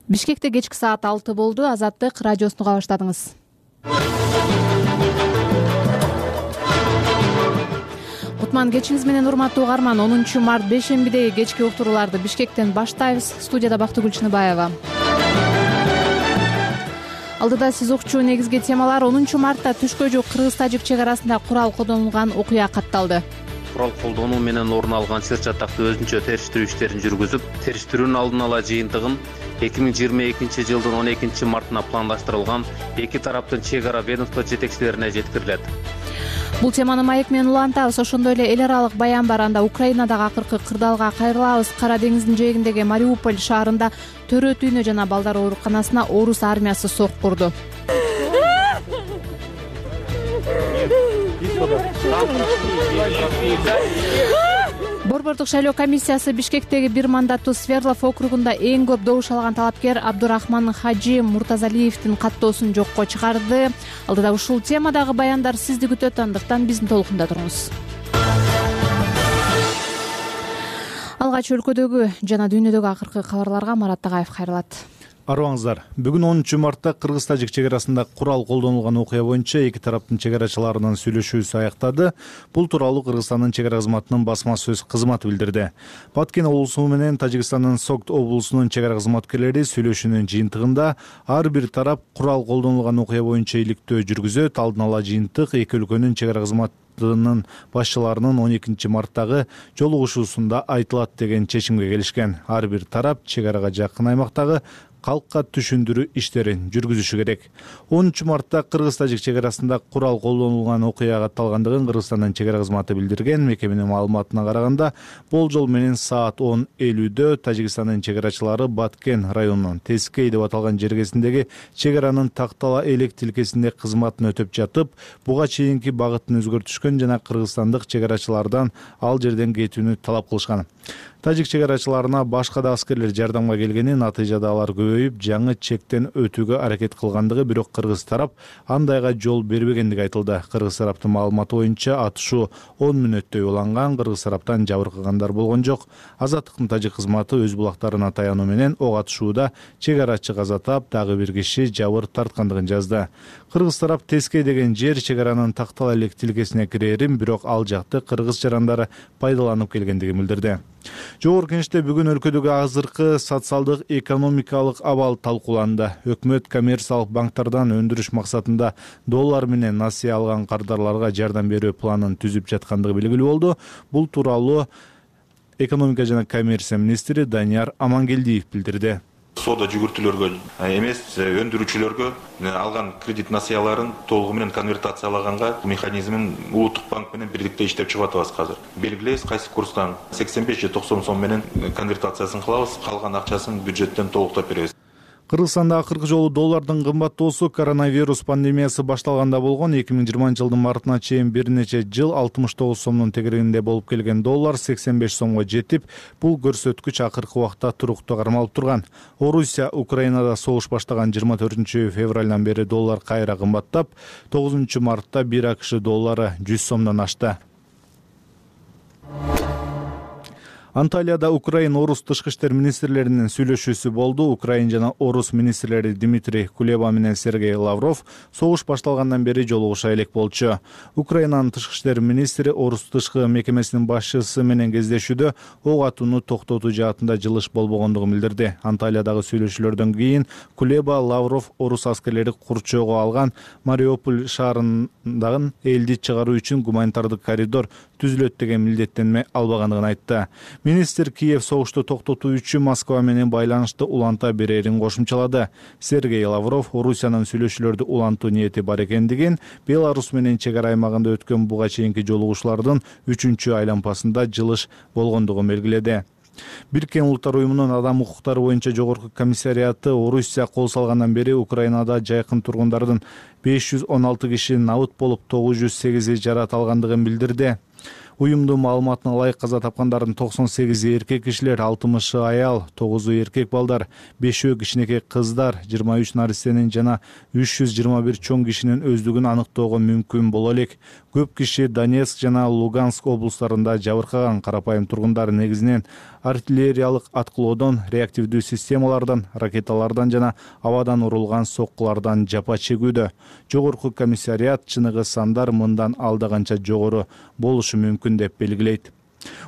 Бишкекте кечки саат 6 болду. Азаттык радиосун уга баштадыңыз. Кутман кечиңиз менен урматтуу угарман. 10 март бейшембидеги кечки уктурууларды Бишкектен баштайбыз. Студияда Бактыгүл Чыныбаева. Алдыда сиз укчу негизги темалар. 10 мартта түшкө жук кыргыз-тажик чек арасында курал колдонулган окуя катталды. Курал колдонуу менен орун алган сыр-чатакты өзүнчө териштирүү иштерин жүргүзүп, териштирүүнүн алдын ала жыйынтыгын 2022 жылдын 12 мартына пландаштырылган эки тараптын чек ара ведомство жетекчилерине жеткирилет. Бул теманы маек менен улантабыз. Ошондой эле эл аралык баян бар. Анда Украинадагы акыркы кырдаалга кайрылабыз. Кара деңиздин жээгиндеги Мариуполь шаарында төрөт үйүнө жана балдар ооруканасына орус армиясы сокку урду. Борбордук шайлоо комиссиясы Бишкектеги бир мандаттуу Свердлов округунда эң көп добуш алган талапкер Абдурахман Хаджи Муртазалиевдин каттоосун жокко чыгарды. Алдыда ушул темадагы баяндар сизди күтөт, андыктан биздин толкунда туруңуз. Алгач өлкөдөгү жана дүйнөдөгү акыркы кабарларга Марат Тагаев кайрылат. Арыбаңыздар. Бүгүн 10 мартта кыргыз-тажик чек арасында курал колдонулган окуя боюнча эки тараптын чек арачыларынын сүйлөшүүсү аяктады. Бул тууралуу Кыргызстандын чек ара кызматынын басма сөз кызматы билдирди. Баткен облусу менен Тажикстандын Согд облусунун чек ара кызматкерлери сүйлөшүүнүн жыйынтыгында ар бир тарап курал колдонулган окуя боюнча иликтөө жүргүзөт. Алдын ала жыйынтык эки өлкөнүн чек ара кызматынын башчыларынын 12 марттагы жолугушуусунда айтылат деген чечимге келишкен. Ар бир тарап чек арага жакын аймактагы калкка түшүндүрүү иштерин жүргүзүшү керек. 10 мартта кыргыз-тажик чек арасында курал колдонулган окуя катталгандыгын Кыргызстандын чек ара кызматы билдирген. Мекеменин маалыматына караганда, болжол менен саат 10:50 Тажикстандын чек арачылары Баткен районунун Тескей деп аталган жергесиндеги чек аранын Тактала элек тилкесинде кызматын өтөп жатып, буга чейинки багытын өзгөртүшкөн жана кыргызстандык чек арачылардан ал жерден кетүүнү талап кылышкан. Тажик чек арачыларына башка да аскерлер жардамга келгени, натыйжада алар көбөйүп, жаңы чектен өтүүгө аракет кылгандыгы, бирок кыргыз тарап андайга жол бербегендиги айтылды. Кыргыз тараптын маалыматы боюнча атышуу 10 мүнөттөй уланган, кыргыз тараптан жабыркагандар болгон жок. Азаттыктын тажик кызматы өз булактарына таянуу менен ок атышууда чек арачы каза таап, дагы бир киши жабыр тарткандыгын жазды. Кыргыз тарап Тескей деген жер чек аранын Тактала элек тилкесине кирерин, бирок ал жакты кыргыз жарандары пайдаланып келгендигин билдирди. Жогорку Кеңеште бүгүн өлкөдөгү азыркы социалдык экономикалык абал талкууланды. Өкмөт коммерциялык банктардан өндүрүш максатында доллар менен насыя алган кардарларга жардам берүү планын түзүп жаткандыгы белгилүү болду. Бул тууралуу экономика жана коммерция министри Данияр Амангелдиев билдирди. Соода жүгүртүүлөргө эмес, өндүрүүчүлөргө алган кредит насыяларын толугу менен конвертациялаганга механизмин улуттук банк менен бирдикте иштеп чыгып атабыз азыр. Белгилейбиз кайсы курстан 85 же 90 сом менен конвертациясын кылабыз, калган акчасын бюджеттен толуктап беребиз. Кыргызстанда акыркы жолу доллардын кымбаттоосу коронавирус пандемиясы башталганда болгон. 2020 жылдын мартына чейин бир нече жыл 69 сомдун тегерегинде болуп келген доллар 85 сомго жетип, бул көрсөткүч акыркы убакта туруктуу кармалып турган. Орусия Украинада согуш баштаган 24 февралдан бери доллар кайра кымбаттап, 9 мартта 1 АКШ доллары 100 сомдон ашты. Анталияда Украин орус тышкы иштер министрлеринин сүйлөшүүсү болду. Украин жана орус министрлери Дмитрий Кулеба менен Сергей Лавров согуш башталгандан бери жолугуша элек болчу. Украинанын тышкы иштер министри орус тышкы мекемесинин башчысы менен кездешүүдө ок атууну токтотуу жаатында жылыш болбогондугун билдирди. Анталиядагы сүйлөшүүлөрдөн кийин Кулеба Лавров орус аскерлери курчоого алган Мариуполь шаарындагы элди чыгаруу үчүн гуманитардык коридор түзүлөт деген милдеттенме албагандыгын айтты. Министр Киев согушту токтотуу үчүн Москва менен байланышты уланта берерин кошумчалады. Сергей Лавров Орусиянын сүйлөшүүлөрдү улантуу ниети бар экендигин, Беларус менен чек ара аймагында өткөн буга чейинки жолугушуулардын 3-чү айланпасында жылыш болгондугун белгиледи. Бириккен Улуттар уюмунун адам укуктары боюнча жогорку комиссариаты Орусия кол салгандан бери Украинада жайкын тургундардын 516 киши набыт болуп, 908 жарат алгандыгын билдирди. Уюмдун маалыматына ылайык каза тапкандардын 98 эркек кишилер, 60 аял, 9 эркек балдар, 5 кичинекей кыздар, 23 наристенин жана 321 чоң кишинин өздүгүн аныктоого мүмкүн боло элек. Көп киши Донецк жана Луганск облустарында жабыркаган. Карапайым тургундар негизинен артиллериялык аткылоодон, реактивдүү системалардан, ракеталардан жана абадан урулган соккулардан жапа чегүүдө. Жогорку комиссариат чыныгы сандар мындан алдаганча жогору болушу мүмкүн деп белгилейт.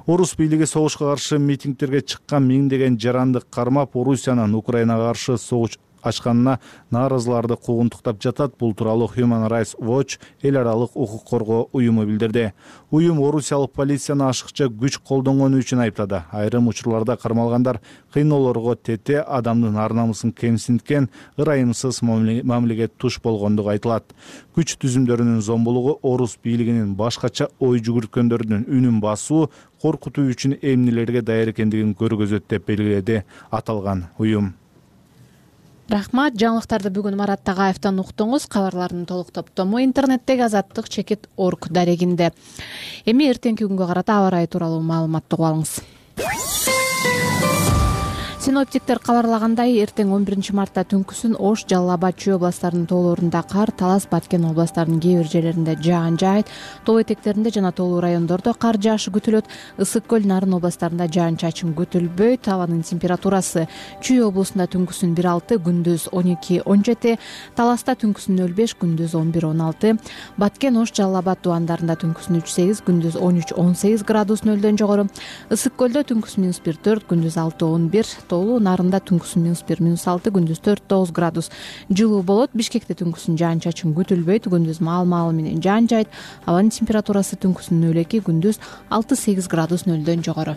Орус бийлиги согушка каршы митингтерге чыккан миңдеген жаранды кармап, Орусиянын Украинага каршы согуш ачканына нааразыларды куугунтуктап жатат. Бул тууралуу Human Rights Watch эл аралык укук коргоо уюму билдирди. Уюм орусиялык полицияны ашыкча күч колдонгону үчүн айыптады. Айрым учурларда кармалгандар кыйноолорго тете, адамдын ар-намысын кемсинткен, ырайымсыз мамилеге туш болгондугу айтылат. Күч түзүмдөрүнүн зомбулугу орус бийлигинин башкача ой жүгүрткөндөрдүн үнүн басуу, коркутуу үчүн эмнелерге даяр экендигин көргөзөт деп белгиледи аталган уюм. Рахмат. Жаңылыктарды бүгүн Марат Тагаевден уктуңуз. Кабарлардын толук топтому интернеттеги azattik.org дарегинде. Эми эртеңки күнгө карата аба ырайы тууралуу маалыматты угуп алыңыз. Синоптиктер кабарлагандай, эртең 11 мартта түнкүсүн Ош, Жалал Абад, Чүй областарынын тоолорунда кар, Талас, Баткен областарынын кээ бир жерлеринде жаан жаайт. Тоо этектеринде жана тоолуу райондордо кар жаашы күтүлөт. Ысык көл, Нарын областарында жаан-чачын күтүлбөйт. Абанын температурасы Чүй облусунда түнкүсүн 1,6, күндүз 12-17, Таласта түнкүсүн 0,5, күндүз 11-16, Баткен, Ош, Жалал Абад дубандарында түнкүсүн 3,8, күндүз 13-18 градус нөлдөн жогору. Ысык көлдө түнкүсүн -1,4, күндүз 6-11, тоолуу Нарында түнкүсүн -1, -6, күндүз 4-9 градус жылуу болот. Бишкекте түнкүсүн жаан-чачын күтүлбөйт, күндүз маал менен жаан жаайт. Абанын температурасы түнкүсүн 0,2, күндүз 6-8 градус нөлдөн жогору.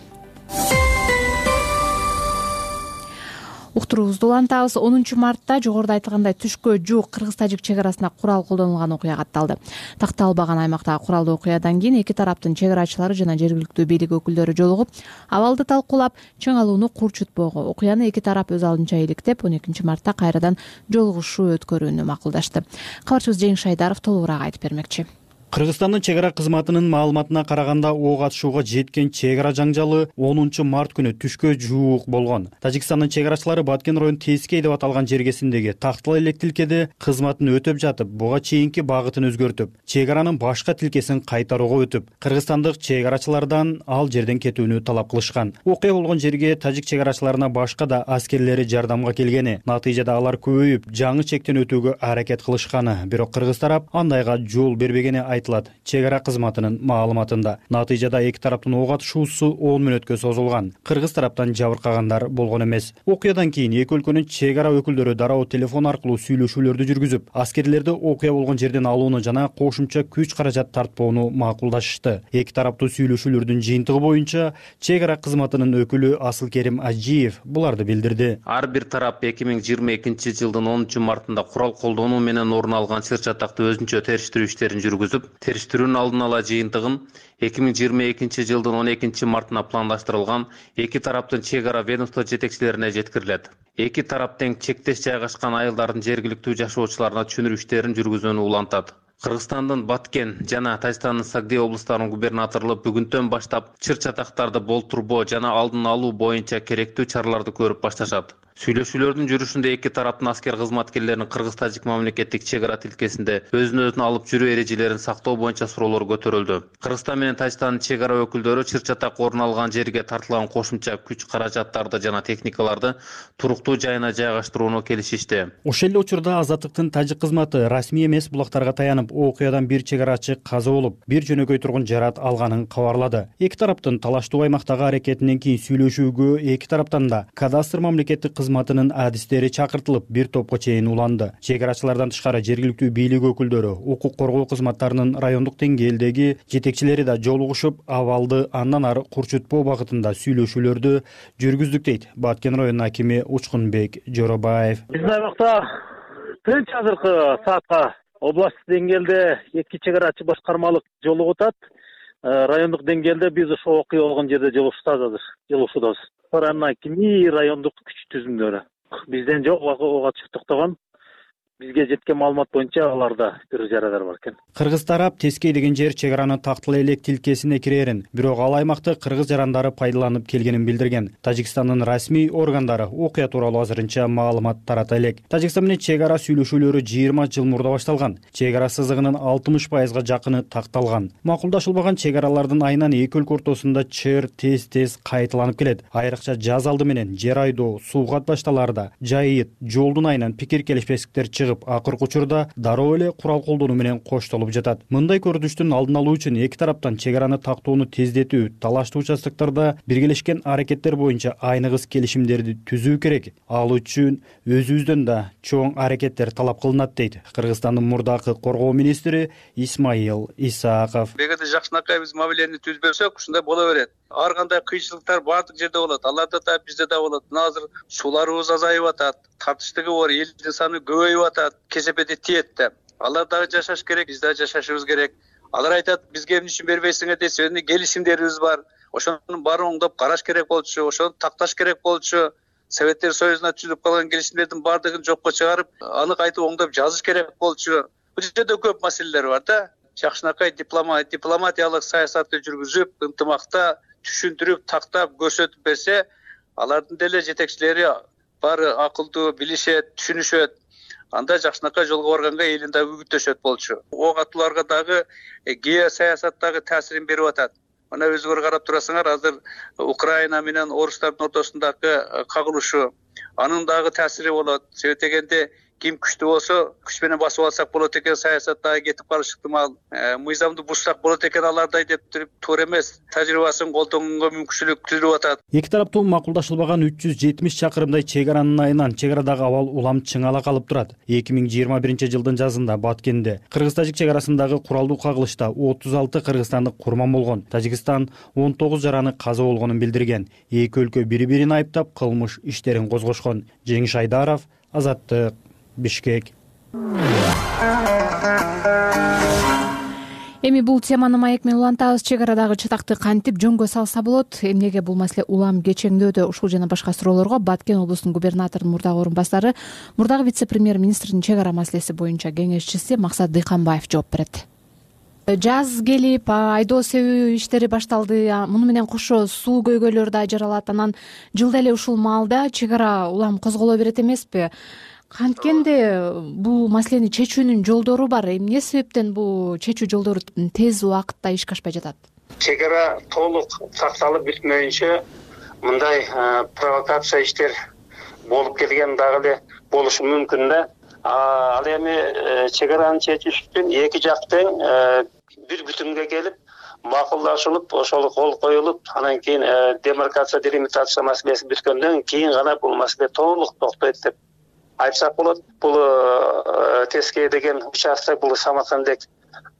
Уктуруубузду улантабыз. 10 мартта жогоруда айтылгандай түшкө жуук кыргыз-тажик чек арасында курал колдонулган окуя катталды. Такталбаган аймактагы куралдуу окуядан кийин эки тараптын чек арачылары жана жергиликтүү бийлик өкүлдөрү жолугуп, абалды талкуулап, чың алууну курчутпоого, окуяны эки тарап өз алдынча иликтеп, 12 мартта кайрадан жолугушуу өткөрүүнү макулдашты. Кабарчыбыз Жеңиш Айдаров толугураак айтып бермекчи. Кыргызстандын чек ара кызматынын маалыматына караганда, ок атышууга жеткен чек ара жаңжалы 10 март күнү түшкө жуук болгон. Тажикстандын чек арачылары Баткен район Тескей деп аталган жергесиндеги Тактал элек тилкеде кызматын өтөп жатып, буга чейинки багытын өзгөртүп, чек аранын башка тилкесин кайтарууга өтүп, кыргызстандык чек арачылардан ал жерден кетүүнү талап кылышкан. Окуя болгон жерге тажик чек арачыларына башка да аскерлери жардамга келгени, натыйжада алар көбөйүп, жаңы чектен өтүүгө аракет кылышканы, бирок кыргыз тарап андайга жол бербегени айтылат чек ара кызматынын маалыматында. Натыйжада эки тараптын ок атышуусу 10 мүнөткө созулган. Кыргыз тараптан жабыркагандар болгон эмес. Окуядан кийин эки өлкөнүн чек ара өкүлдөрү дароо телефон аркылуу сүйлөшүүлөрдү жүргүзүп, аскерлерди окуя болгон жерден алууну жана кошумча күч каражат тартпоону макулдашышты. Эки тараптуу сүйлөшүүлөрдүн жыйынтыгы боюнча чек ара кызматынын өкүлү Асылкерим Ажиев буларды билдирди. Ар бир тарап 2022 жылдын 10 мартында курал колдонуу менен орун алган сыр чатактуу өзүнчө териштирүү иштерин жүргүзүп, териштирүүнүн алдын ала жыйынтыгын 2022 жылдын 12 мартына пландаштырылган эки тараптын чек ара ведомство жетекчилерине жеткирилет. Эки тарап тең чектеш жайгашкан айылдардын жергиликтүү жашоочуларына түшүнүрүү иштерин жүргүзүүнү улантат. Кыргызстандын Баткен жана Тажикстандын Сагдей облустарынын губернаторлору бүгүндөн баштап чыр чатактарды болтурбоо жана алдын алуу боюнча керектүү чараларды көрүп башташат. Сүйлөшүүлөрдүн жүрүшүндө эки тараптын аскер кызматкерлеринин кыргыз-тажик мамлекеттик чек ара тилкесинде өзүн алып жүрүү эрежелерин сактоо боюнча суроолор көтөрүлдү. Кыргызстан менен Тажикстандын чек ара өкүлдөрү чыр чатак орун алган жерге тартылган кошумча күч каражаттарды жана техникаларды туруктуу жайына жайгаштырууну келишишти. Ошол эле учурда Азаттыктын тажик кызматы расмий эмес булактарга таянып, окуядан бир чек арачы каза болуп, бир жөнөкөй тургун жарат алганын кабарлады. Эки тараптын талаштуу аймактагы аракетинен кийин сүйлөшүүгө эки тараптан да кадастр мамлекеттик кызматынын адистери чакыртылып, бир топко чейин уланды. Чек арачылардан тышкары жергиликтүү бийлик өкүлдөрү, укук коргоо кызматтарынын райондук деңгээлдеги жетекчилери да жолугушуп, абалды андан ары курчутпоо багытында сүйлөшүүлөрдү жүргүздүк дейт Баткен районунун акими Учкунбек Жоробаев. Биздин аймакта тынч азыркы саатка областтык деңгээлде эки чек арачы башкармалык жолугуп атат. Райондук деңгээлде биз ошо окуя болгон жерде жолугушуудабыз. Райондук күч түзүмдөрү бизден жок, ок атышып токтогон. бизге жеткен маалымат боюнча аларда бир жарадар бар экен. Кыргыз тарап Тескей деген жер чек араны тактыл элек тилкесине кирерин, бирок ал аймакты кыргыз жарандары пайдаланып келгенин билдирген. Тажикстандын расмий органдары окуя тууралуу азырынча маалымат тарата элек. Тажикстан менен чек ара сүйлөшүүлөрү 20 жыл мурда башталган. Чек ара сызыгынын 60%га жакыны такталган. Макулдашылбаган чек аралардын айынан эки өлкө ортосунда чыр тез кайталанып келет. Айрыкча жаз алды менен жер айдоо, суу катбашталарда, жайыт, жолдун айынан пикир келишпестиктер чыгып, акыркы учурда дароо эле курал колдонуу менен коштолуп жатат. Мындай көрүнүштүн алдын алуу үчүн эки тараптан чек араны тактоону тездетүү, талаштуу участоктордо биргелешкен аракеттер боюнча айныгыс келишимдерди түзүү керек. Ал үчүн өзүбүздөн да чоң аракеттер талап кылынат, дейт Кыргызстандын мурдакы коргоо министри Исмаил Исаков. Эгерде жакшынакай биз мамилени түзбөсөк, ушундай боло берет. Ар кандай кыйынчылыктар баардык жерде болот. Аларда да, бизде да болот. Мына азыр сууларыбыз азайып атат, тартыштыгы бар, элдин саны көбөйүп атат, кесепети тиет да. Алар дагы жашаш керек, биз дагы жашашыбыз керек. Алар айтат, бизге эмне үчүн бербейсиңер десе, келишимдерибиз бар. Ошонун баарын оңдоп караш керек болчу, ошону такташ керек болчу. Советтер Союзуна түзүлүп калган келишимдердин баардыгын жокко чыгарып, аны кайтып оңдоп жазыш керек болчу. Бул жерде көп маселелер бар да. Жакшынакай дипломатиялык саясатты жүргүзүп, ынтымакта түшүндүрүп, тактап, көрсөтүп берсе, алардын деле жетекчилери баары акылдуу, билишет, түшүнүшөт. Анда жакшынакай жолго барганга элин дагы үгүттөшөт болчу. Ок атууларга дагы геосаясаттагы таасирин берип атат. Мына өзүңөр карап турасыңар, азыр Украина менен орустардын ортосундагы кагылышы, анын дагы таасири болот. Себеп дегенде ким күчтүү болсо, күч менен басып алсак болот экен, саясаттагы кетип калыш ыктымал. Мыйзамды бузсак болот экен алардай деп туруп туура эмес. Тажрыйбасын колдонгонго мүмкүнчүлүк түзүлүп атат. Эки тараптуу макулдашылбаган 370 чакырымдай чек аранын айынан чек арадагы абал улам чыңала калып турат. 2021 жылдын жазында Баткенде кыргыз-тажик чек арасындагы куралдуу кагылышта 36 кыргызстандык курман болгон. Тажикстан 19 жараны каза болгонун билдирген. Эки өлкө бири-бирин айыптап кылмыш иштерин козгошкон. Жеңиш Айдаров, Азаттык, Бишкек. Эми бул теманы маек менен улантабыз. Чек арадагы чатакты кантип жөнгө салса болот? Эмнеге бул маселе улам кечеңдөөдө? Ушул жана башка суроолорго Баткен облусунун губернаторунун мурдагы орун басары, мурдагы вице-премьер министрдин чек ара маселеси боюнча кеңешчиси Максат Дыйканбаев жооп берет. Жаз келип, айдоо себүү иштери башталды. Муну менен кошо суу көйгөйлөрү да жаралат. Анан жылда эле ушул маалда чек ара улам козголо берет эмеспи? Канткенде бул маселени чечүүнүн жолдору бар. Эмне себептен бул чечүү жолдору тез убакытта ишке ашпай жатат? Чек ара толук сакталып бүтмөйүнчө мындай провокация иштер болуп келген дагы эле болушу мүмкүн да. Ал эми чек араны чечиш үчүн эки жактын бир бүтүнгө келип, макулдашылып, ошол кол коюлуп, анан кийин демаркация, делимитация маселеси бүткөндөн кийин гана бул маселе толук токтойт деп айтсак болот. Бул Тескей деген участок, бул Самаркандек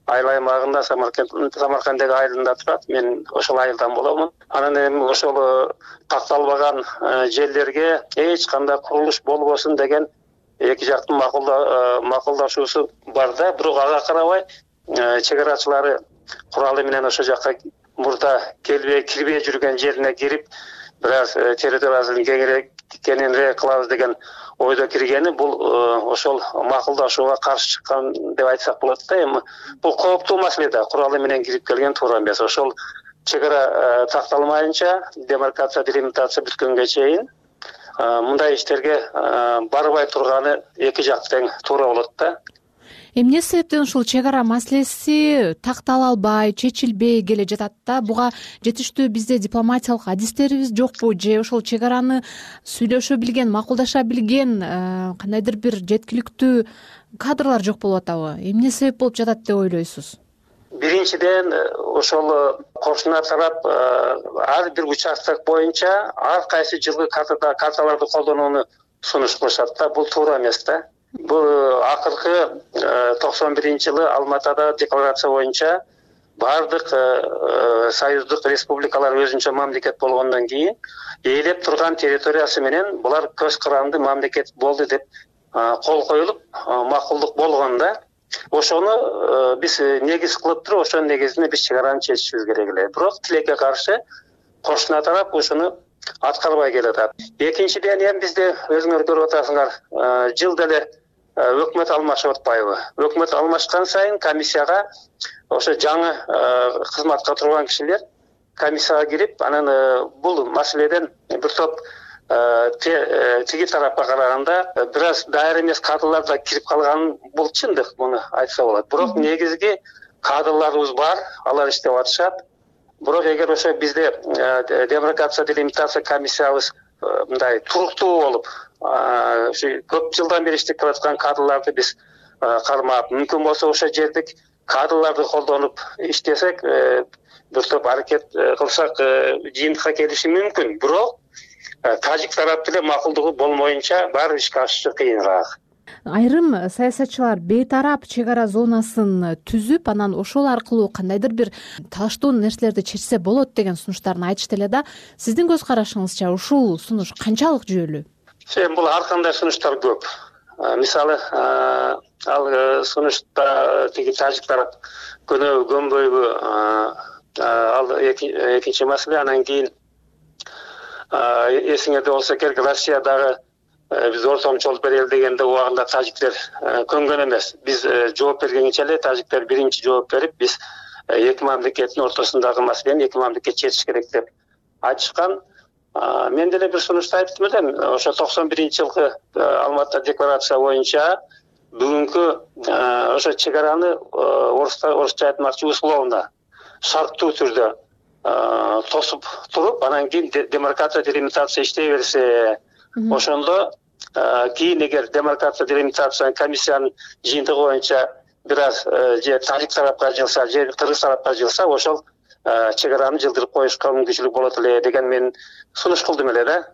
айыл аймагында, Самаркандек айылында турат. Мен ошол айылдан боломун. Анан эми ошол такталбаган жерлерге эч кандай курулуш болбосун деген эки жактын макулдашуусу бар да. Бирок ага карабай чек арачылары куралы менен ошол жакка мурда кирбей жүргөн жерине кирип, бир аз территориясын кеңирээк кылабыз деген ойдо киргени, бул ошол макулдашууга каршы чыккан деп айтсак болот да. Эми бул кооптуу маселе да, куралы менен кирип келген туура эмес. Ошол чек ара такталмайынча, демаркация, делимитация бүткөнгө чейин мындай иштерге барбай турганы эки жак тең туура болот да. Эмне себептен ушул чек ара маселеси тактала албай, чечилбей келе жатат да? Буга жетиштүү бизде дипломатиялык адистерибиз жокпу же ошол чек араны сүйлөшө билген, макулдаша билген кандайдыр бир жеткиликтүү кадрлар жок болуп атабы? Эмне себеп болуп жатат деп ойлойсуз? Биринчиден, ошол кошуна тарап ар бир участок боюнча ар кайсы жылкы карталарды колдонууну сунуш кылышат да. Бул туура эмес да. Бул акыркы 91-жылы Алматада декларация боюнча бардык союздук республикалар өзүнчө мамлекет болгондон кийин ээлеп турган территориясы менен булар көз каранды мамлекет болду деп кол коюлуп, макулдук болгон да. Ошону биз негиз кылып туруп, ошонун негизинде биз чек араны чечишибиз керек эле. Бирок тилекке каршы кошуна тарап ошону аткарбай келатат. Экинчиден, эми бизде өзүңөр көрүп атасыңар, жылда эле өкмөт алмашып атпайбы? Өкмөт алмашкан сайын комиссияга ошо жаңы кызматка турган кишилер комиссияга кирип, анан бул маселеден бир топ тиги тарапка караганда бир аз даяр эмес кадрлар да кирип калганын бул чындык, муну айтса болот. Бирок негизги кадрларыбыз бар, алар иштеп атышат. Бирок эгер ошо бизде демаркация делимитация комиссиябыз мындай туруктуу болуп, ушу көп жылдан бери иштеп келаткан кадрларды биз кармап, мүмкүн болсо ошо жердик кадрларды колдонуп иштесек, бир топ аракет кылсак жыйынтыкка келиши мүмкүн. Бирок тажик тарап деле макулдугу болмоюнча баары ишке ашышы кыйыныраак. Айрым саясатчылар бейтарап чек ара зонасын түзүп, анан ошол аркылуу кандайдыр бир талаштуу нерселерди чечсе болот деген сунуштарын айтышты эле да. Сиздин көз карашыңызча ушул сунуш канчалык жүйөлүү? Бул ар кандай сунуштар көп. Мисалы, ал сунушта тиги тажик тарап көнбөйбү, ал экинчи маселе. Анан кийин эсиңерде болсо керек, Россиядагы биз ортомчолук берели дегенде убагында тажиктер көнгөн эмес. Биз жооп бергенче эле тажиктер биринчи жооп берип, биз эки мамлекеттин ортосундагы маселени эки мамлекет чечиш керек деп айтышкан. Мен деле бир сунушта айттым элем, ошо 91-жылкы Алматыда декларация боюнча бүгүнкү ошо чек араны орусча айтмакчы условно шарттуу түрдө тосуп туруп, анан кийин демаркация делимитация иштей берсе, ошондо кийин эгер демаркация делимитация комиссиянын жыйынтыгы боюнча бир аз же тажик тарапка жылса, же кыргыз тарапка жылса, ошол чек араны жылдырып коюшка мүмкүнчүлүк болот эле деген мен сунуш кылдым эле да.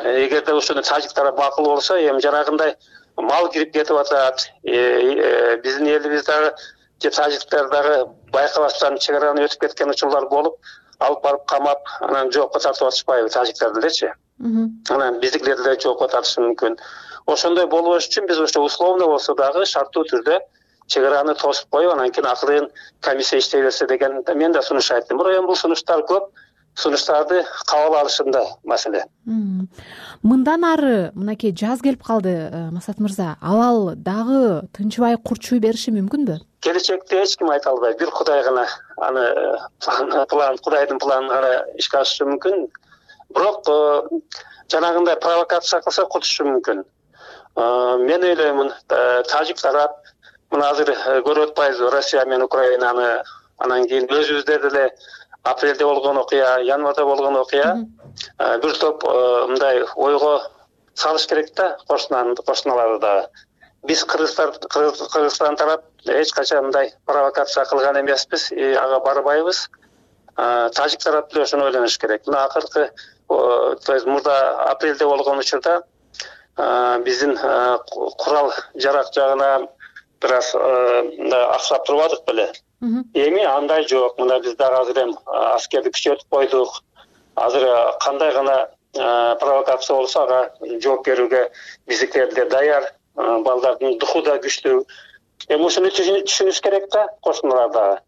Эгерде ошону тажик тарап макул болсо, эми жанагындай мал кирип кетип атат, биздин элибиз дагы же тажиктер дагы байкабастан чек араны өтүп кеткен учурлар болуп, алып барып камап, анан жоопко тартып атышпайбы тажиктер делечи. Анан биздикилер деле жоопко тартышы мүмкүн. Ошондой болбош үчүн биз ошо условно болсо дагы шарттуу түрдө чек араны тосуп коюп, анан кийин акырын комиссия иштей берсе деген мен да сунуш айттым. Бирок эми бул сунуштар көп, сунуштарды кабыл алышында маселе. Мындан ары мынакей жаз келип калды, Масат мырза. Абал дагы тынчыбай курчуй бериши мүмкүнбү? Келечекте эч ким айта албайт. Бир Кудай гана аны Кудайдын планын гана ишке ашышы мүмкүн. Бирок жанагындай провокация кылса кутушу мүмкүн. Мен ойлоймун, тажик тарап мына азыр көрүп атпайбызбы, Россия менен Украинаны, анан кийин өзүбүздө деле апрелде болгон окуя, январда болгон окуя бир топ мындай ойго салыш керек да, кошуналарды дагы. Биз Кыргызстан тарап эч качан мындай провокация кылган эмеспиз, ага барбайбыз. Тажик тарап деле ошону ойлоnuш керек. Мына акыркы, то есть мурда апрелде болгон учурда биздин курал жарак жагына бир аз аксап турбадык беле. Эми андай жок. Мына биз дагы азыр эми аскерди күчөтүп койдук. Азыр кандай гана провокация болсо ага жооп берүүгө биздикилер деле даяр, балдардын духу да күчтүү. Эми ушуну түшүнүш керек да, кошуналар дагы.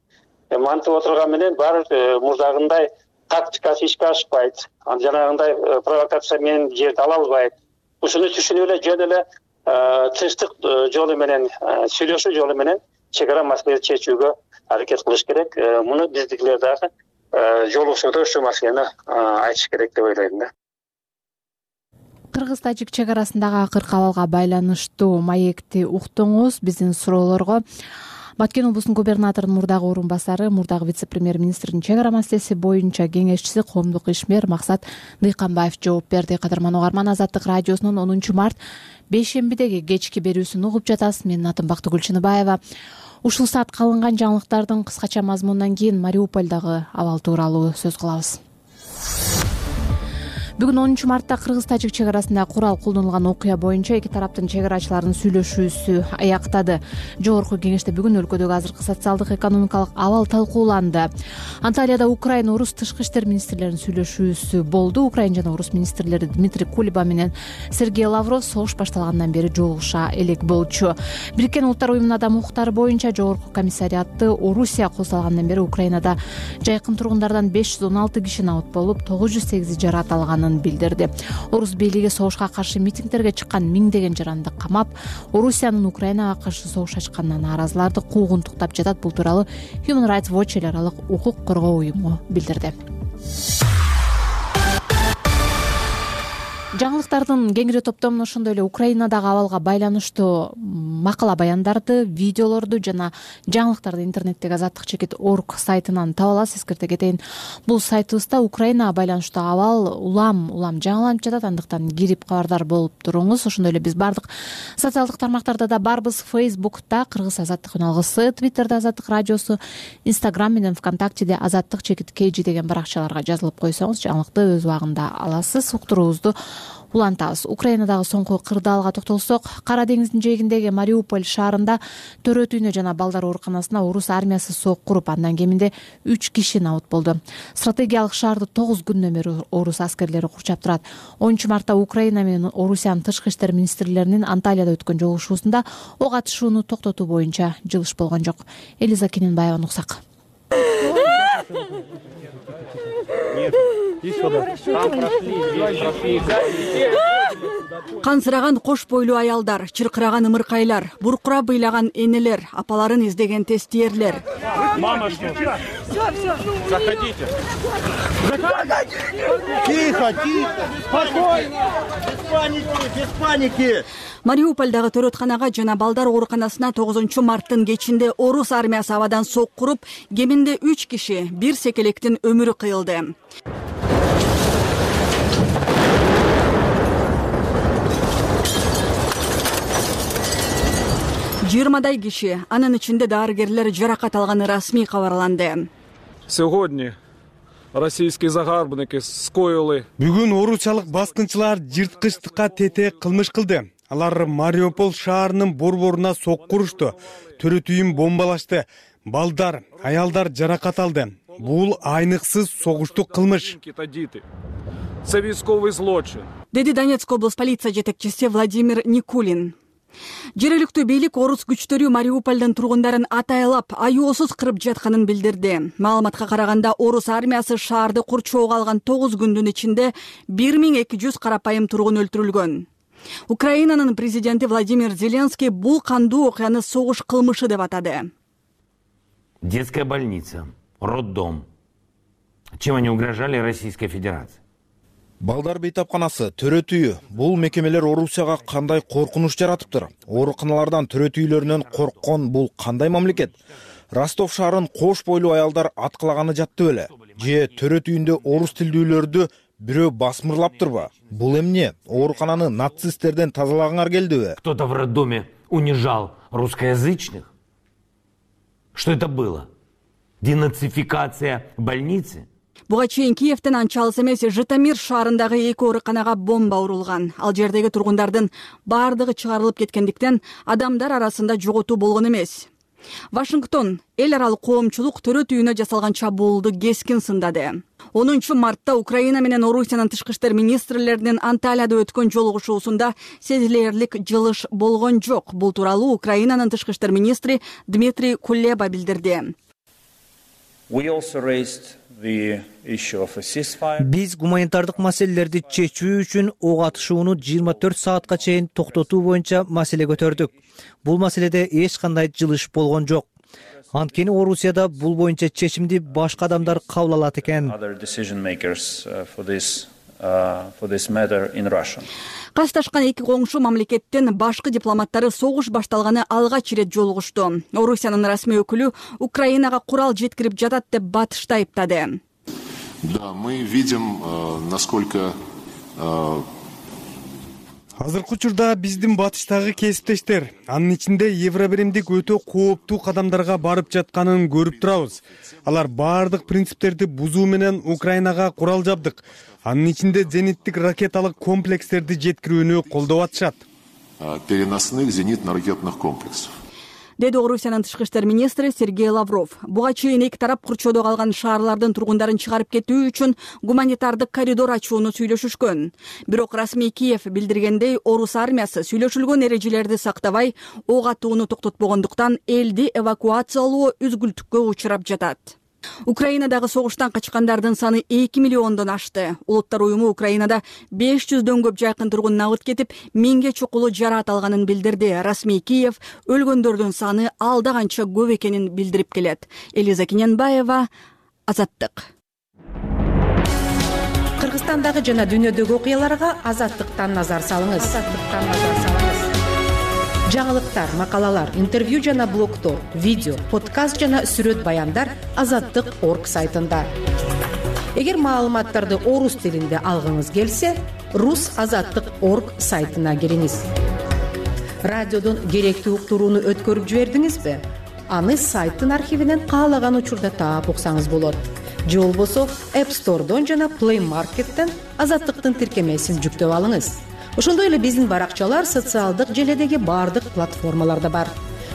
Мантип отурган менен баары мурдагындай тактикасы ишке ашпайт. Жанагындай провокация менен жерди ала албайт. Ушуну түшүнүп эле жөн эле тынчтык жолу менен, сүйлөшүү жолу менен чек ара маселени чечүүгө аракет кылыш керек. Муну биздикилер дагы жолугушууда ушул маселени айтыш керек деп ойлойм да. Кыргыз-тажик чек арасындагы акыркы абалга байланыштуу маекти уктуңуз. Биздин суроолорго Баткен облусунун губернаторунун мурдагы орун басары, мурдагы вице-премьер-министрдин чек ара маселеси боюнча кеңешчиси, коомдук ишмер Максат Дыйканбаев жооп берди. Кадырман угарман, Азаттык радиосунун 10 март бейшембидеги кечки берүүсүн угуп жатасыз. Менин атым Бактыгүл Чыныбаева. Ушул саат калынган жаңылыктардын кыскача мазмунунан кийин Мариуполдогу абал тууралуу сөз кылабыз. Бүгүн 10 мартта Кыргыз-тажик чек арасында курал колдонулган окуя боюнча эки тараптын чек арачыларынын сүйлөшүүсү аяктады. Жогорку кеңеште бүгүн өлкөдөгү азыркы социалдык экономикалык абал талкууланды. Анталияда Украина, Орус тышкы иштер министрлеринин сүйлөшүүсү болду. Украина жана Орус министрлери Дмитрий Кулеба менен Сергей Лавров согуш башталгандан бери жолугуша элек болчу. Бириккен Улуттар уюмунун адам укуктары боюнча жогорку комиссариаты Орусия козголгандан бери Украинада жайкын тургундардан 516 киши набыт болуп, 908 жараат алганын алынганын билдирди. Орус бийлиги согушка каршы митингдерге чыккан миңдеген жаранды камап, Орусиянын Украинага каршы согуш ачканына нааразыларды куугунтуктап жатат. Бул тууралуу Human Rights Watch эл аралык укук коргоо уюму билдирди. Жаңылыктардын кеңири топтомун ошондой эле Украинадагы абалга байланыштуу макала баяндарды, видеолорду жана жаңылыктарды интернеттеги azatlyk.org сайтынан таба аласыз. Эскерте кетейин, бул сайтыбызда Украинага байланыштуу абал улам жаңыланып жатат, андыктан кирип кабардар болуп туруңуз. Ошондой эле биз бардык социалдык тармактарда да барбыз. Facebook'та Кыргыз Азаттык үналгысы, Twitter'да Азаттык радиосу, Instagram менен ВКонтактеде azatlyk.kg деген баракчаларга жазылып койсоңуз жаңылыкты өз убагында аласыз. Уктуруубузду улантабыз. Украинадагы соңку кырдаалга токтолсок, Кара деңиздин жээгиндеги Мариуполь шаарында төрөт үйүнө жана балдар ооруканасына орус армиясы сок куруп, андан кеминде 3 киши набыт болду. Стратегиялык шаарды 9 күндөн бери орус аскерлери курчап турат. 10 мартта Украина менен Орусиянын тышкы иштер министрлеринин Анталияда өткөн жолугушуусунда ок атышууну токтотуу боюнча жылыш болгон жок. Элиза Кененбаеваны уксак. Кансыраган кош бойлуу аялдар, чыркыраган ымыркайлар, буркура быйлаган энелер, апаларын издеген тестиерлер. Мама, что? Все. Заходите. Тихо. Спокойно. Без паники. Мариупольдагы төрөтканага жана балдар ооруканасына 9 марттын кечинде орус армиясы абадан сок куруп, кеминде 3 киши, бир секелектин өмүрү кыйылды. Жыйырмадай киши, анын ичинде дарыгерлер жаракат алганы расмий кабарланды. Сегодня российские загарбники скоили. Бүгүн орусиялык баскынчылар жырткычтыкка тетек кылмыш кылды. Алар Мариуполь шаарынын борборуна сок курушту, төрөт үйүн бомбалашты, балдар, аялдар жаракат алды. Бул айныксыз согуштук кылмыш. Це військовий злочин. Деди Донецк облус полиция жетекчиси Владимир Никулин. Жергиликтүү бийлик орус күчтөрү Мариупольдун тургундарын атайлап, аюусуз кырып жатканын билдирди. Маалыматка караганда, орус армиясы шаарды курчоого алган 9 күндүн ичинде 1200 карапайым тургун өлтүрүлгөн. Украинанын президенти Владимир Зеленский бул кандуу окуяны согуш кылмышы деп атады. Детская больница, роддом. Чем они угрожали Российской Федерации? Балдар бейтапканасы, төрөт үйү. Бул мекемелер Орусияга кандай коркунуч жаратыптыр? Ооруканалардан төрөт үйлөрүнөн корккон бул кандай мамлекет? Ростов шаарын кош бойлуу аялдар аткылаганы жатты беле? Же төрөт үйүндө орус тилдүүлөрдү бирөө басмырлаптырбы? Бул эмне? Оорукананы нацисттерден тазалагаңар келдиби? Кто-то в роддоме унижал русскоязычных? Что это было? Денацификация больницы? Буга чейин Киевден анча алыс эмес Житомир шаарындагы 2 ооруканага бомба урулган. Ал жердеги тургундардын бардыгы чыгарылып кеткендиктен адамдар арасында жоготуу болгон эмес. Вашингтон эл аралык коомчулук төрөт үйүнө жасалган чабуулду кескин сындады. 10 мартта Украина менен Орусиянын тышкы иштер министрлеринин Анталияда өткөн жолугушуусунда сезилерлик жылыш болгон жок. Бул тууралуу Украинанын тышкы иштер министри Дмитрий Кулеба билдирди. Биз гуманитардык маселелерди чечүү үчүн ок атышууну 24 саатка чейин токтотуу боюнча маселе көтөрдүк. Бул маселеде эч кандай жылыш болгон жок. Анткени Орусияда бул боюнча чечимди башка адамдар кабыл алат экен. Касташкан 2 коңшу мамлекеттин башкы дипломаттары согуш башталганы алгач ирет жолугушту. Орусиянын расмий өкүлү Украинага курал жеткирип жатат деп батышты айыптады. Да, мы видим, насколько азыркы учурда биздин батыштагы кесиптештер анын ичинде евробиримдик өтө кооптуу кадамдарга барып жатканын көрүп турабыз. Алар бардык принциптерди бузуу менен Украинага курал жабдык, анын ичинде зениттик ракеталык комплекстерди жеткирүүнү колдоп атышат. Переносных зенитно-ракетных комплексов. Деди Орусиянын тышкы иштер министри Сергей Лавров. Буга чейин 2 тарап курчоодо калган шаарлардын тургундарын чыгарып кетүү үчүн гуманитардык коридор ачууну сүйлөшүшкөн. Бирок расмий Киев билдиргендей, орус армиясы сүйлөшүлгөн эрежелерди сактабай, ок атууну токтотпогондуктан элди эвакуациялоо үзгүлтүккө учурап жатат. Украинадагы согуштан качкандардын саны 2 миллиондон ашты. Улуттар уюму Украинада 500дөн көп жайкын тургун набыт кетип, 1000ге чукулу жараат алганын билдирди. Расмий Киев өлгөндөрдүн саны алда канча көп экенин билдирип келет. Элиза Киненбаева, Азаттык. Кыргызстандагы жана дүйнөдөгү окуяларга Азаттыктан назар салыңыз. Жаңылыктар, макалалар, интервью жана блогтор, видео, подкаст жана сүрөт баяндар Азаттык.орг сайтында. Эгер маалыматтарды орус тилинде алгыңыз келсе, rusazаттык.орг сайтына кириңиз. Радиодон керектүү уктурууну өткөрүп жибердиңизби? Аны сайттын архивинен каалаган учурда таап уксаңыз болот. Же болбосо App Store'дон жана Play Market'тен Азаттыктын тиркемесин жүктөп алыңыз. Ошондой эле биздин баракчалар социалдык желедеги бардык платформаларда бар.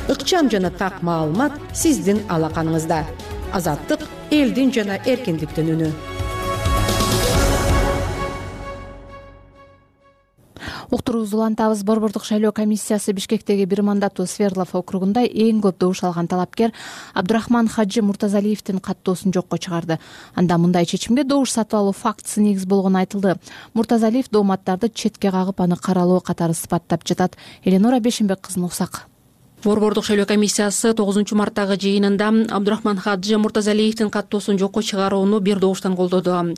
Ыкчам жана так маалымат сиздин алаканыңызда. Азаттык — элдин жана эркиндиктин үнү. Уктуруубузду улантабыз. Борбордук шайлоо комиссиясы Бишкектеги бир мандаттуу Свердлов округунда эң көп добуш алган талапкер Абдурахман Хаджи Муртазалиевдин каттоосун жокко чыгарды. Анда мындай чечимге добуш сатып алуу фактысы негиз болгону айтылды. Муртазалиев дооматтарды четке кагып, аны каралоо катары сыпаттап жатат. Эленора Бешимбек кызын уксак. Борбордук шайлоо комиссиясы 9 марттагы жыйынында Абдурахман Хаджи Муртазалиевдин каттоосун жокко чыгарууну бир добуштан колдоду.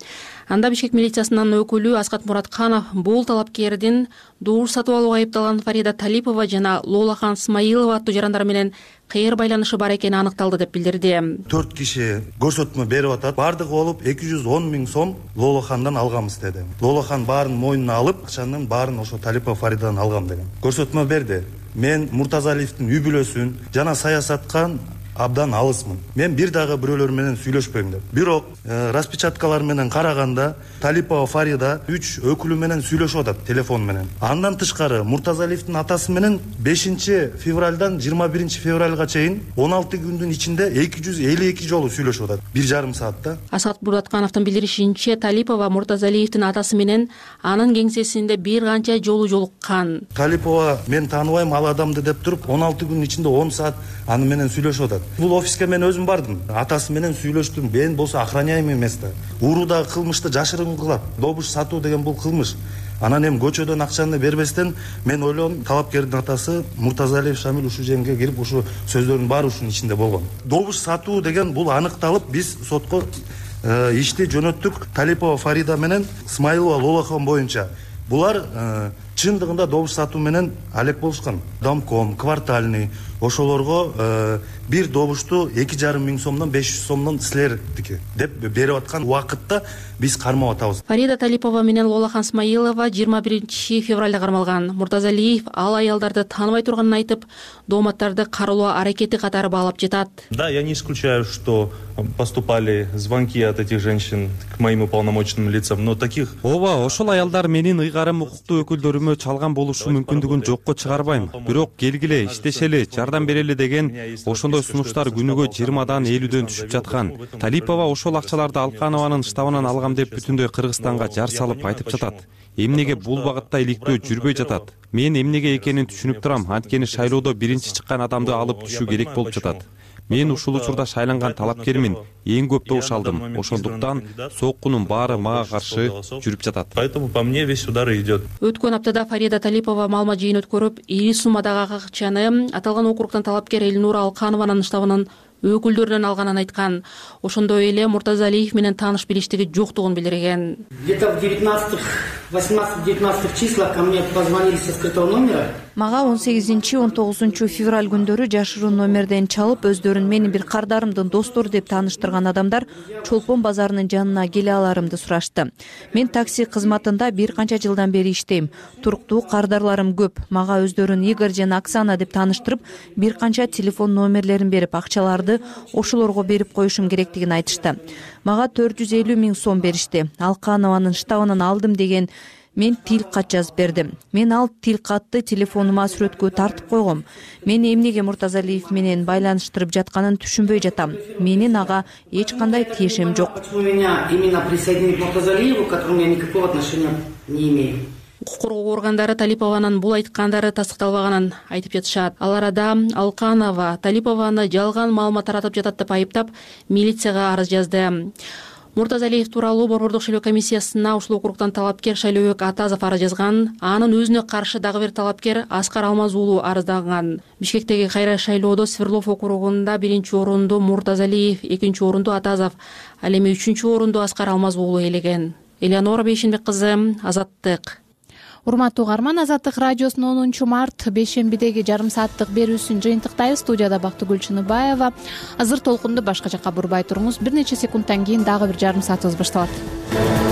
Анда Бишкек милициясынын өкүлү Аскат Муратканов бул талапкердин добуш сатып алууга айыпталган Фарида Талипова жана Лолахан Смаилова аттуу жарандар менен кайыр байланышы бар экени аныкталды деп билдирди. 4 киши көрсөтмө берип атат. Бардыгы болуп 210 000 сом Лолахандан алганбыз деди. Лолахан баарын мойнуна алып, акчанын баарын ошо Талипова Фаридадан алгам деген. Көрсөтмө берди. Мен Муртазалиевдин үй бүлөсүн жана саясаткан абдан алысмын. Мен бир дагы бирөөлөр менен сүйлөшпөйм деп. Бирок распечаткалар менен караганда Талипова Фарида 3 өкүлү менен сүйлөшүп атат телефон менен. Андан тышкары Муртазалиевдин атасы менен 5 февралдан 21 февралга чейин 16 күндүн ичинде 252 жолу сүйлөшүп атат. 1,5 саатта. Аскат Мураткановдун билдиришинче, Талипова Муртазалиевдин атасы менен анын кеңсесинде бир канча жолу жолуккан. Талипова мен тааныбайм ал адамды деп туруп 16 күнүн ичинде 10 саат аны менен сүйлөшүп атат. Бул офиске мен өзүм бардым. Атасы менен сүйлөштүм. Мен болсо охраняемый эмес да. Уурудагы кылмышты жашырын кылат. Добуш сатуу деген бул кылмыш. Анан эми көчөдөн акчаны бербестен мен ойлодум, талапкердин атасы Муртазалиев Шамил ушул жерге кирип, ушу сөздөрдүн баары ушунун ичинде болгон. Добуш сатуу деген бул аныкталып, биз сотко ишти жөнөттүк. Талипова Фарида менен Смаилова Лолахан боюнча. Булар чындыгында добуш сатуу менен алек болушкан. Домком, квартальный ошолорго бир добушту 2,5 миң сомдон 500 сомдон силердики деп берип аткан убакытта биз кармап атабыз. Фарида Талипова менен Лолахан Смаилова 21 февралда кармалган. Муртазалиев ал аялдарды тааныбай турганын айтып, дооматтарды каралоо аракети катары баалап жатат. Да, я не исключаю, что поступали звонки от этих женщин к моим уполномоченным лицам, но таких... Ооба, ошол аялдар менин ыйгарым укуктуу өкүлдөрүмө чалган болушу мүмкүндүгүн жокко чыгарбайм. Бирок келгиле, иштешели, жардам берели деген ошондой сунуштар күнүгө 20дан 50дөн түшүп жаткан. Талипова ошол акчаларды Алканованын штабынан алгам деп бүтүндөй Кыргызстанга жар салып айтып жатат. Эмнеге бул багытта иликтөө жүрбөй жатат? Мен эмнеге экенин түшүнүп турам, анткени шайлоодо биринчи чыккан адамды алып түшүү керек болуп жатат. Мен ушул учурда шайланган талапкермин, эң көп добуш алдым. Ошондуктан соккунун баары мага каршы жүрүп жатат. Поэтому по мне весь удар идет. Өткөн аптада Фарида Талипова маалымат жыйын өткөрүп, ири суммадагы акчаны аталган округтан талапкер Эльнура Алканованын штабынан өкүлдөрүнөн алганын айткан. Ошондой эле Муртазалиев менен тааныш билиштиги жоктугун билдирген. Где-то в 18-19 числах ко мне позвонили со скрытого номера. Мага 18-19 февраль күндөрү жашыруун номерден чалып, өздөрүн менин бир кардарымдын достору деп тааныштырган адамдар Чолпон базарынын жанына келе аларымды сурашты. Мен такси кызматында бир канча жылдан бери иштейм. Туруктуу кардарларым көп. Мага өздөрүн Игорь жана Оксана деп тааныштырып, бир канча телефон номерлерин берип, акчаларды ошолорго берип коюшум керектигин айтышты. Мага 450 000 сом беришти. Алканованын штабынан алдым деген мен тил кат жазып бердим. Мен ал тил катты телефонума сүрөткө тартып койгом. Мен эмнеге Муртазалиев менен байланыштырып жатканын түшүнбөй жатам. Менин ага эч кандай тиешем жок. Почему меня именно присоединить к Муртазалиеву, к которому я никакого отношения не имею? Укук коргоо органдары Талипованын бул айткандары тастыкталбаганын айтып жатышат. Ал арада Алканова Талипованы жалган маалымат таратып жатат деп айыптап, милицияга арыз жазды. Муртазалиев тууралуу Борбордук шайлоо комиссиясына ушул округтан талапкер Шайлообек Атазов арыз жазган. Анын өзүнө каршы дагы бир талапкер Аскар Алмаз уулу арызданган. Бишкектеги кайра шайлоодо Свердлов округунда 1-орунду Муртазалиев, 2-орунду Атазов, ал эми 3-орунду Аскар Алмаз уулу ээлеген. Элеонора Бейшенбек кызы, Азаттык. Урматтуу угарман, Азаттык радиосунун 10 март бейшембидеги жарым сааттык берүүсүн жыйынтыктайбыз. Студияда Бактыгүл Чыныбаева. Азыр толкунду башка жакка бурбай туруңуз. Бир нече секундтан кийин дагы бир жарым саатыбыз башталат.